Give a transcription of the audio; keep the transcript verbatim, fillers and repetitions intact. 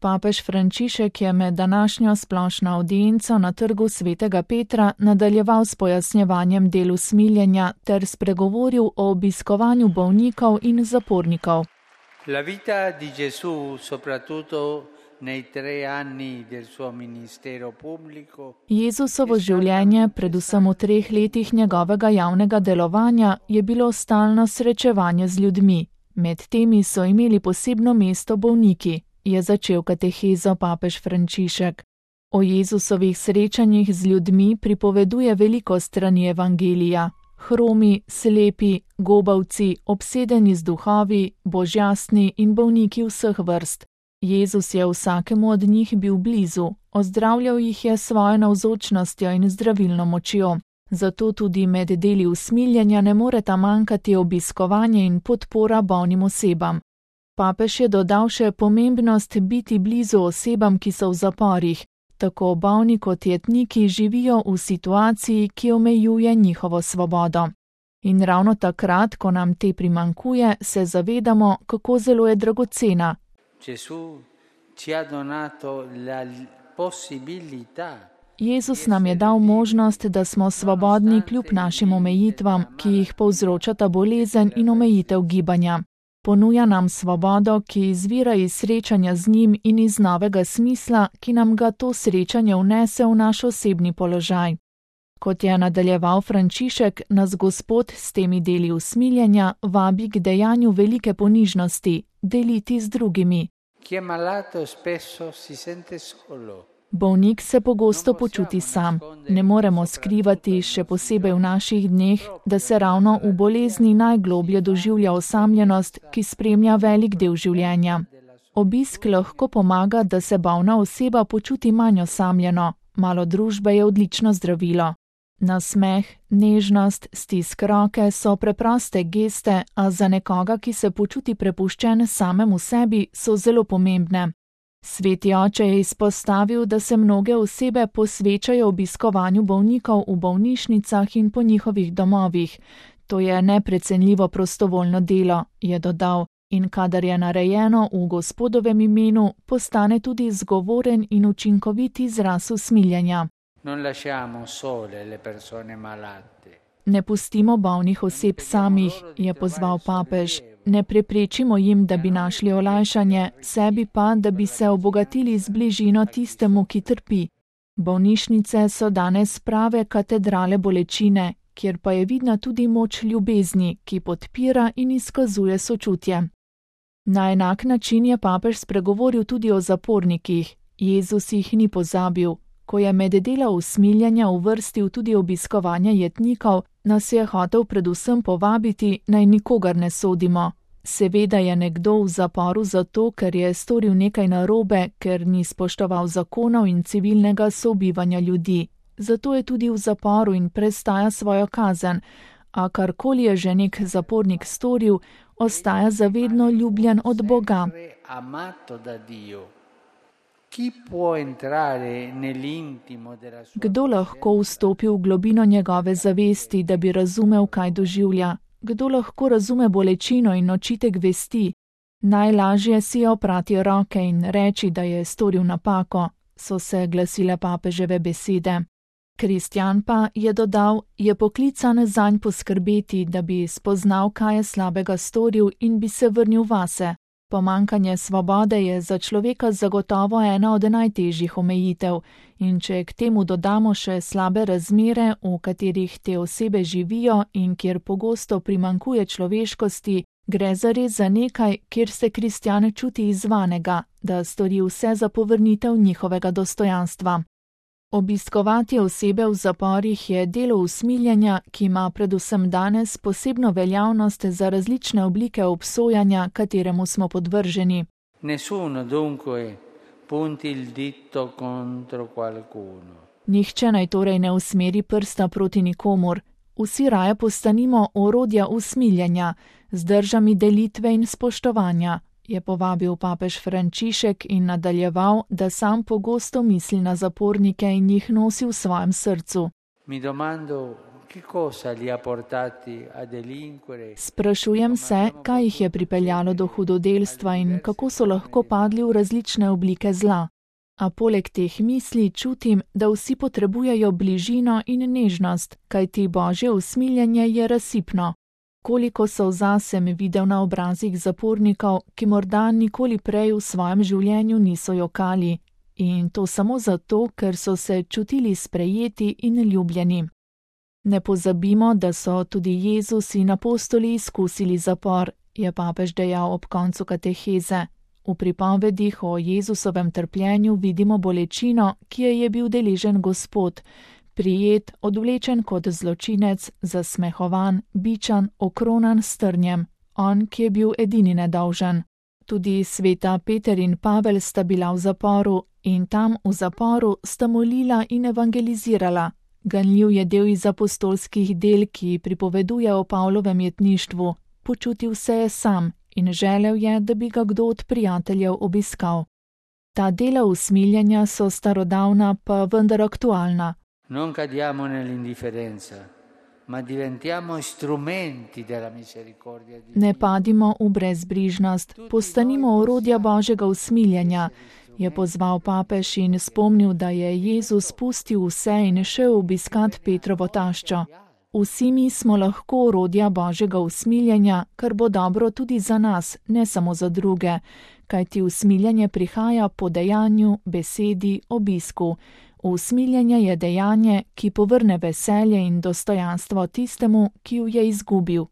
Papež Frančišek je med današnjo splošno avdienco na trgu svetega Petra nadaljeval s pojasnjevanjem del usmiljenja ter spregovoril o obiskovanju bolnikov in zapornikov. La vita di Gesù, soprattutto nei tre anni del suo ministero pubblico. Jezusovo življenje, predvsem v treh letih njegovega javnega delovanja, je bilo stalno srečevanje z ljudmi. Med temi so imeli posebno mesto bolniki, je začel katehezo papež Frančišek. O Jezusovih srečanjih z ljudmi pripoveduje veliko strani evangelija. Hromi, slepi, gobavci, obsedeni z duhovi, božjastni in bolniki vseh vrst. Jezus je vsakemu od njih bil blizu, ozdravljal jih je svojo navzočnostjo in zdravilno močjo. Zato tudi med deli usmiljenja ne moreta manjkati obiskovanje in podpora bolnim osebam. Papež je dodal še pomembnost biti blizu osebam, ki so v zaporih. Tako bolni kot jetniki živijo v situaciji, ki omejuje njihovo svobodo. In ravno takrat, ko nam te primanjkuje, se zavedamo, kako zelo je dragocena. Jezus nam je dal možnost, da smo svobodni kljub našim omejitvam, ki jih povzročata bolezen in omejitev gibanja. Ponuja nam svobodo, ki izvira iz srečanja z njim in iz novega smisla, ki nam ga to srečanje vnese v naš osebni položaj. Kot je nadaljeval Frančišek, nas Gospod s temi deli usmiljenja vabi k dejanju velike ponižnosti, deliti z drugimi. Bolnik se pogosto počuti sam. Ne moremo skrivati, še posebej v naših dneh, da se ravno v bolezni najgloblje doživlja osamljenost, ki spremlja velik del življenja. Obisk lahko pomaga, da se bolna oseba počuti manj osamljeno. Malo družbe je odlično zdravilo. Nasmeh, nežnost, stisk roke so preproste geste, a za nekoga, ki se počuti prepuščen samemu sebi, so zelo pomembne. Sveti oče je izpostavil, da se mnoge osebe posvečajo obiskovanju bolnikov v bolnišnicah in po njihovih domovih. To je neprecenljivo prostovoljno delo, je dodal, in kadar je narejeno v Gospodovem imenu, postane tudi zgovoren in učinkovit izraz usmiljenja. Ne pustimo bolnih oseb samih, je pozval papež. Ne preprečimo jim, da bi našli olajšanje, sebi pa, da bi se obogatili z bližino tistemu, ki trpi. Bolnišnice so danes prave katedrale bolečine, kjer pa je vidna tudi moč ljubezni, ki podpira in izkazuje sočutje. Na enak način je papež spregovoril tudi o zapornikih. Jezus jih ni pozabil. Ko je med dela usmiljenja uvrstil tudi obiskovanje jetnikov, nas je hotel predvsem povabiti, naj nikogar ne sodimo. Seveda je nekdo v zaporu zato, ker je storil nekaj narobe, ker ni spoštoval zakonov in civilnega sobivanja ljudi. Zato je tudi v zaporu in prestaja svojo kazen, a karkoli je že nek zapornik storil, ostaja zavedno ljubljen od Boga. Kdo lahko vstopi v globino njegove zavesti, da bi razumel, kaj doživlja? Kdo lahko razume bolečino in očitek vesti? Najlažje si je oprati roke in reči, da je storil napako, so se glasile papeževe besede. Kristjan pa, je dodal, je poklican zanj poskrbeti, da bi spoznal, kaj je slabega storil in bi se vrnil vase. Pomanjkanje svobode je za človeka zagotovo ena od najtežjih omejitev in če k temu dodamo še slabe razmere, v katerih te osebe živijo in kjer pogosto primanjkuje človeškosti, gre zares za nekaj, kjer se kristjan čuti izzvanega, da stori vse za povrnitev njihovega dostojanstva. Obiskovati osebe v zaporih je delo usmiljenja, ki ima predvsem danes posebno veljavnost za različne oblike obsojanja, kateremu smo podvrženi. Nessuno dunque punti il dito contro qualcuno. Nihče naj torej ne usmeri prsta proti nikomur. Vsi raje postanimo orodja usmiljenja, z držami delitve in spoštovanja, je povabil papež Frančišek in nadaljeval, da sam pogosto misli na zapornike in jih nosi v svojem srcu. Mi domando Sprašujem se, kaj jih je pripeljalo do hudodelstva in kako so lahko padli v različne oblike zla. A poleg teh misli čutim, da vsi potrebujejo bližino in nežnost, kajti Božje usmiljenje je razsipno. Koliko solza sem videl na obrazih zapornikov, ki morda nikoli prej v svojem življenju niso jokali. In to samo zato, ker so se čutili sprejeti in ljubljeni. Ne pozabimo, da so tudi Jezus in apostoli izkusili zapor, je papež dejal ob koncu kateheze. V pripovedih o Jezusovem trpljenju vidimo bolečino, ki je je bil deležen Gospod, prijet, odvlečen kot zločinec, zasmehovan, bičan, okronan s trnjem, on, ki je bil edini nedolžen. Tudi sveta Peter in Pavel sta bila v zaporu in tam v zaporu sta molila in evangelizirala. Ganljiv je del iz apostolskih del, ki pripoveduje o Pavlovem jetništvu. Počutil se je sam in želel je, da bi ga kdo od prijateljev obiskal. Ta dela usmiljenja so starodavna, pa vendar aktualna. Non cadiamo nell'indifferenza, ma diventiamo strumenti della misericordia di Dio. Ne padimo v brezbrižnost, postanimo orodja Božjega usmiljenja, je pozval papež in spomnil, da je Jezus pustil vse in šel obiskat Petrovo taščo. Vsi mi smo lahko orodja Božjega usmiljenja, kar bo dobro tudi za nas, ne samo za druge, kajti usmiljenje prihaja po dejanju, besedi, obisku. Usmiljenje je dejanje, ki povrne veselje in dostojanstvo tistemu, ki ju je izgubil.